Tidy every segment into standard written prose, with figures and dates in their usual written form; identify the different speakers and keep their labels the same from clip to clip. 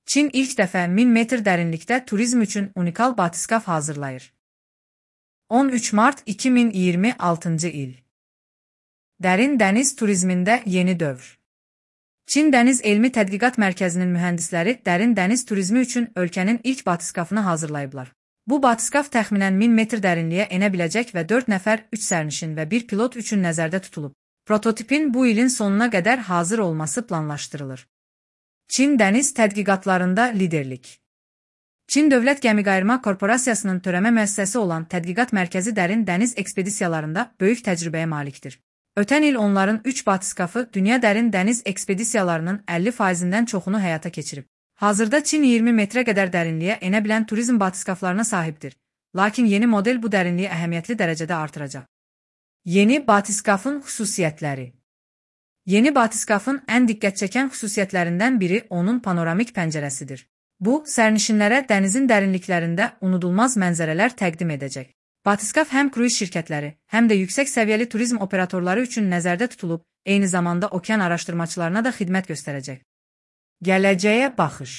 Speaker 1: Çin ilk dəfə 1000 metr dərinlikdə turizm üçün unikal batiskaf hazırlayır. 13 mart 2026 il. Dərin dəniz turizmində yeni dövr. Çin Dəniz Elmi Tədqiqat Mərkəzinin mühəndisləri dərin dəniz turizmi üçün ölkənin ilk batiskafını hazırlayıblar. Bu batiskaf təxminən 1000 metr dərinliyə enə biləcək və 4 nəfər 3 sərnişin və 1 pilot üçün nəzərdə tutulub. Prototipin bu ilin sonuna qədər hazır olması planlaşdırılır. Çin dəniz tədqiqatlarında liderlik. Çin Dövlət Gəmiqayırma Korporasiyasının törəmə müəssisəsi olan Tədqiqat Mərkəzi dərin dəniz ekspedisiyalarında böyük təcrübəyə malikdir. Ötən il onların 3 batiskafı dünya dərin dəniz ekspedisiyalarının 50%-dən çoxunu həyata keçirib. Hazırda Çin 20 metrə qədər dərinliyə enə bilən turizm batiskaflarına sahibdir. Lakin yeni model bu dərinliyi əhəmiyyətli dərəcədə artıracaq. Yeni batiskafın xüsusiyyətləri. Yeni batiskafın ən diqqət çəkən xüsusiyyətlərindən biri onun panoramik pəncərəsidir. Bu, sərnişinlərə dənizin dərinliklərində unudulmaz mənzərələr təqdim edəcək. Batiskaf həm kruiz şirkətləri, həm də yüksək səviyyəli turizm operatorları üçün nəzərdə tutulub, eyni zamanda okean araşdırmaçılarına da xidmət göstərəcək. Gələcəyə baxış.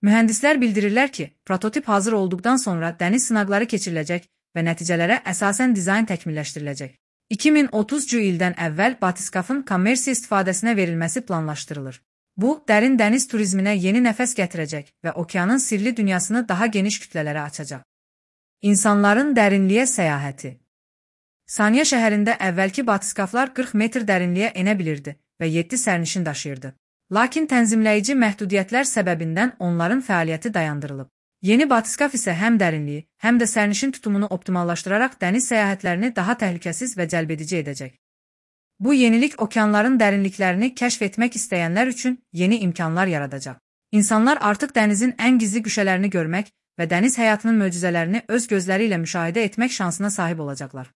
Speaker 1: Mühəndislər bildirirlər ki, prototip hazır olduqdan sonra dəniz sınaqları keçiriləcək və nəticələrə əsasən dizayn təkmilləşdiriləcək. 2030 ildən əvvəl batiskafın kommersiya istifadəsinə verilməsi planlaşdırılır. Bu, dərin dəniz turizminə yeni nəfəs gətirəcək və okeanın sirli dünyasını daha geniş kütlələrə açacaq. İnsanların dərinliyə səyahəti. Sanya şəhərində əvvəlki batiskaflar 40 metr dərinliyə enə bilirdi və 7 sərnişin daşıyırdı. Lakin tənzimləyici məhdudiyyətlər səbəbindən onların fəaliyyəti dayandırılıb. Yeni batiskaf isə həm dərinliyi, həm də sərnişin tutumunu optimallaşdıraraq dəniz səyahətlərini daha təhlükəsiz və cəlbedici edəcək. Bu yenilik okeanların dərinliklərini kəşf etmək istəyənlər üçün yeni imkanlar yaradacaq. İnsanlar artıq dənizin ən gizli güşələrini görmək və dəniz həyatının möcüzələrini öz gözləri ilə müşahidə etmək şansına sahib olacaqlar.